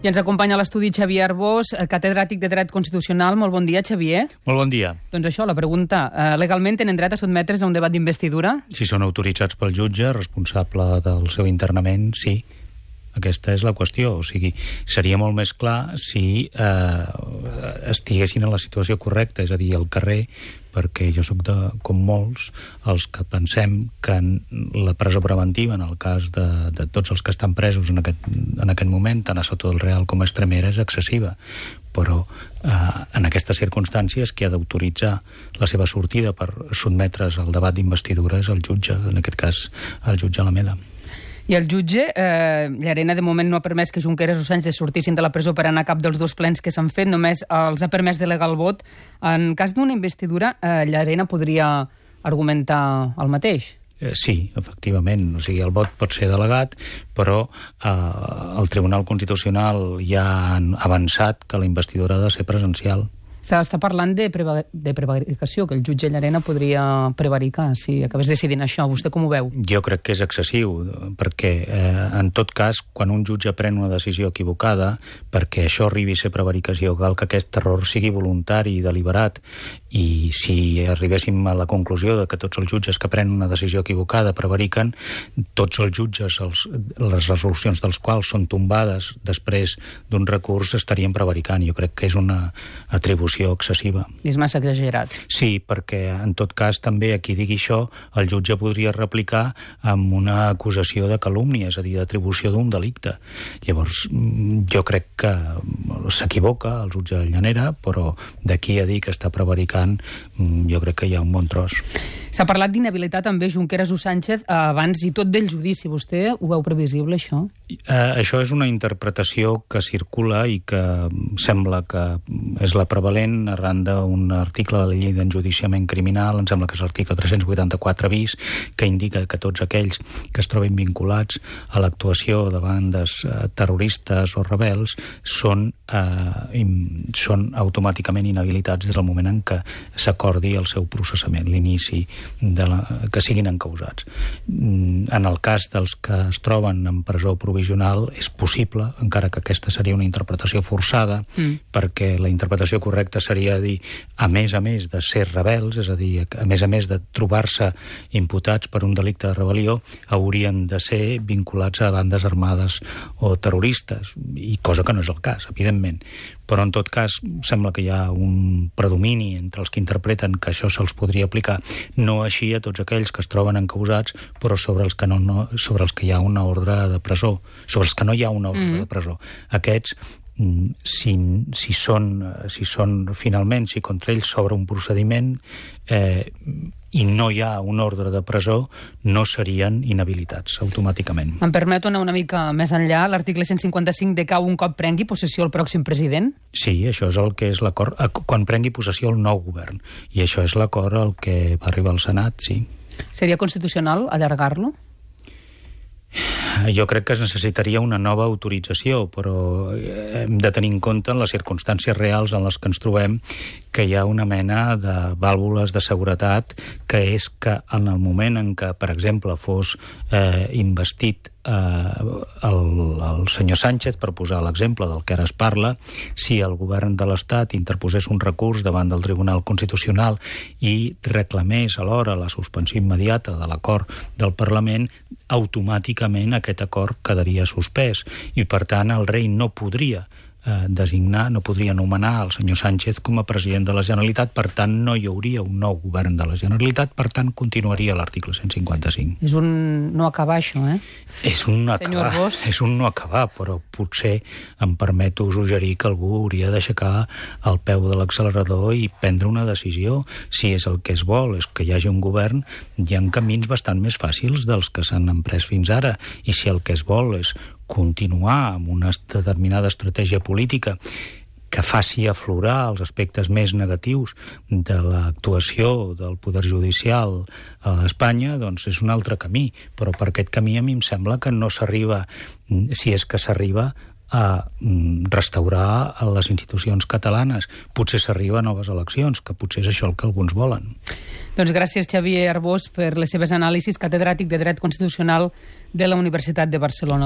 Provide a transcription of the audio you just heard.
I ens acompanya a l'estudi Xavier Arbós, catedràtic de Dret Constitucional. Molt bon dia, Xavier. Molt bon dia. Doncs això, la pregunta. Legalment tenen dret a sotmetre's a un debat d'investidura? Si són autoritzats pel jutge, responsable del seu internament, sí. Aquesta és la qüestió. O sigui, seria molt més clar si estiguessin en la situació correcta, és a dir, al carrer, perquè jo sóc com molts els que pensem que la presó preventiva, en el cas de tots els que estan presos en aquest moment, tant a Soto del Real com a Extremera, és excessiva. Però en aquestes circumstàncies qui ha d'autoritzar la seva sortida per sotmetre's al debat d'investidura és el jutge, en aquest cas el jutge Alameda. I el jutge, Llarena, de moment no ha permès que Junqueras o Sánchez sortissin de la presó per anar a cap dels dos plens que s'han fet, només els ha permès delegar el vot. En cas d'una investidura, Llarena podria argumentar el mateix? Sí, efectivament. O sigui, el vot pot ser delegat, però el Tribunal Constitucional ja ha avançat que la investidura ha de ser presencial. S'està parlant de prevaricació, que el jutge Llarena podria prevaricar si acabés decidint això. Vostè com ho veu? Jo crec que és excessiu, perquè en tot cas, quan un jutge pren una decisió equivocada, perquè això arribi a ser prevaricació, cal que aquest error sigui voluntari i deliberat, i si arribéssim a la conclusió de que tots els jutges que prenen una decisió equivocada prevariquen, tots els jutges, les resolucions dels quals són tombades després d'un recurs, estarien prevaricant. Jo crec que és una atribució excessiva. És massa exagerat. Sí, perquè en tot cas també a qui digui això el jutge podria replicar amb una acusació de calúmnia, és a dir, d'atribució d'un delicte. Llavors, jo crec que s'equivoca el jutge Llanera, però d'aquí a dir que està prevaricant, jo crec que hi ha un bon tros. S'ha parlat d'inhabilitat també Junqueras o Sánchez abans i tot del judici. Vostè ho veu previsible, això? Això és una interpretació que circula i que sembla que és la prevalent arran d'un article de la llei d'enjudiciament criminal, em sembla que és l'article 384 bis, que indica que tots aquells que es trobin vinculats a l'actuació de bandes terroristes o rebels són automàticament inhabilitats des del moment en què s'acordi el seu processament, l'inici que siguin encausats. En el cas dels que es troben en presó provisional és possible, encara que aquesta seria una interpretació forçada, perquè la interpretació correcta seria dir, a més de ser rebels, és a dir, a més de trobar-se imputats per un delicte de rebel·lió, haurien de ser vinculats a bandes armades o terroristes, i cosa que no és el cas, evidentment. Però en tot cas sembla que hi ha un predomini entre els que interpreten que això se'ls podria aplicar, no així a tots aquells que es troben encausats, però sobre els que hi ha una ordre de presó, sobre els que no hi ha una ordre de presó. Aquests, si finalment contra ells s'obre un procediment i no hi ha un ordre de presó, no serien inhabilitats automàticament. Em permeto anar una mica més enllà. L'article 155 decau un cop prengui possessió el pròxim president? Sí, això és el que és l'acord, quan prengui possessió el nou govern. I això és l'acord al que va arribar al Senat, sí. Seria constitucional allargar-lo? Jo crec que es necessitaria una nova autorització, però hem de tenir en compte en les circumstàncies reals en les que ens trobem que hi ha una mena de vàlvules de seguretat, que és que en el moment en què, per exemple, fos investit el senyor Sánchez, per posar l'exemple del que ara es parla, si el govern de l'Estat interposés un recurs davant del Tribunal Constitucional i reclamés alhora la suspensió immediata de l'acord del Parlament, automàticament aquest acord quedaria suspès i, per tant, el rei no podria no podria nomenar el senyor Sánchez com a president de la Generalitat, per tant no hi hauria un nou govern de la Generalitat, per tant continuaria l'article 155. És un no acabar, això, És un no acabar, però potser em permeto suggerir que algú hauria d'aixecar el peu de l'accelerador i prendre una decisió. Si és el que es vol, és que hi hagi un govern, hi ha camins bastant més fàcils dels que s'han emprès fins ara, i si el que es vol és continuar amb una determinada estratègia política que faci aflorar els aspectes més negatius de l'actuació del poder judicial a Espanya, doncs és un altre camí. Però per aquest camí a mi em sembla que no s'arriba, si és que s'arriba, a restaurar les institucions catalanes. Potser s'arriba a noves eleccions, que potser és això el que alguns volen. Doncs gràcies, Xavier Arbós, per les seves anàlisis, catedràtic de Dret Constitucional de la Universitat de Barcelona.